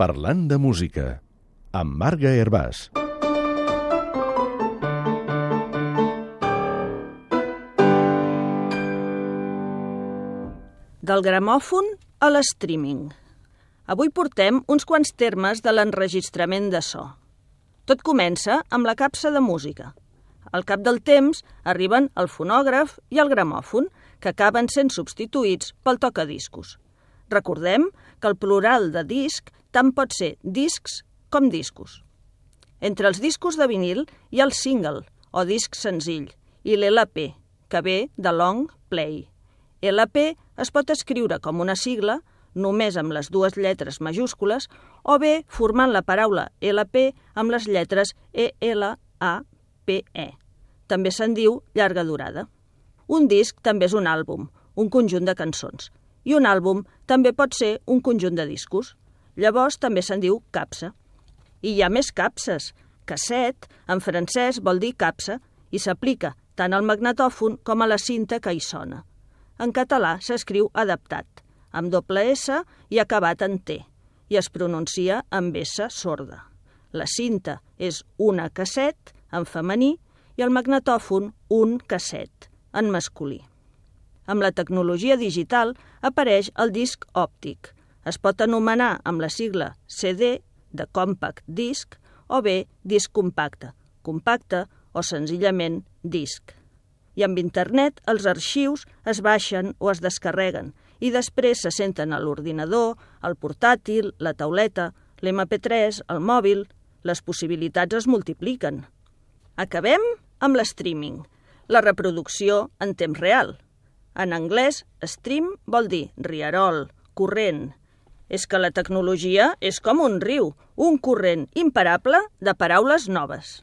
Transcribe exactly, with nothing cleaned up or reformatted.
Parlant de música, amb Marga Hervàs. Del gramòfon a l'streaming. Avui portem uns quants termes de l'enregistrament de so. Tot comença amb la capsa de música. Al cap del temps arriben el fonògraf i el gramòfon, que acaben sent substituïts pel tocadiscos. Recordem que el plural de disc tant pot ser discs com discos. Entre els discos de vinil hi ha el single, o disc senzill, i l'L P, que ve de long play. L P es pot escriure com una sigla, només amb les dues lletres majúscules, o bé formant la paraula L P amb les lletres E L A P E. També se'n diu llarga durada. Un disc també és un àlbum, un conjunt de cançons. I un àlbum també pot ser un conjunt de discos. Llavors també se'n diu capsa. I hi ha més capses. Casset, en francès, vol dir capsa i s'aplica tant al magnetòfon com a la cinta que hi sona. En català s'escriu adaptat, amb doble S i acabat en T, i es pronuncia amb S sorda. La cinta és una casset, en femení, i el magnetòfon un casset, en masculí. Amb la tecnologia digital apareix el disc òptic. Es pot anomenar amb la sigla C D, de compact disc, o bé disc compacte, compacte o senzillament disc. I amb internet els arxius es baixen o es descarreguen i després se senten a l'ordinador, al portàtil, la tauleta, l'M P tres, el mòbil. Les possibilitats es multipliquen. Acabem amb l'streaming, la reproducció en temps real. En anglès, stream vol dir rierol, corrent. És que la tecnologia és com un riu, un corrent imparable de paraules noves.